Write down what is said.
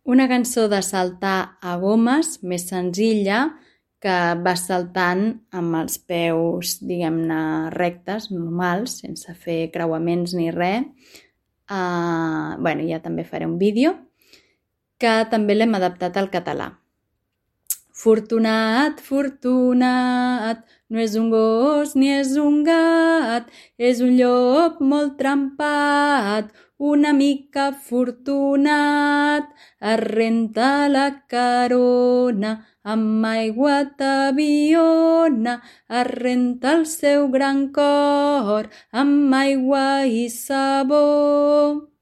Una cançó de saltar a gomes més senzilla que vas saltant amb els peus, diguem-ne, rectes, normals, sense fer creuaments ni res. Ja també faré un vídeo que també l'hem adaptat al català. Fortunat, fortunat, no és un gos ni és un gat, és un llop molt trempat, una mica fortunat. Es renta la carona amb aigua tabiona, es renta el seu gran cor amb aigua i sabó.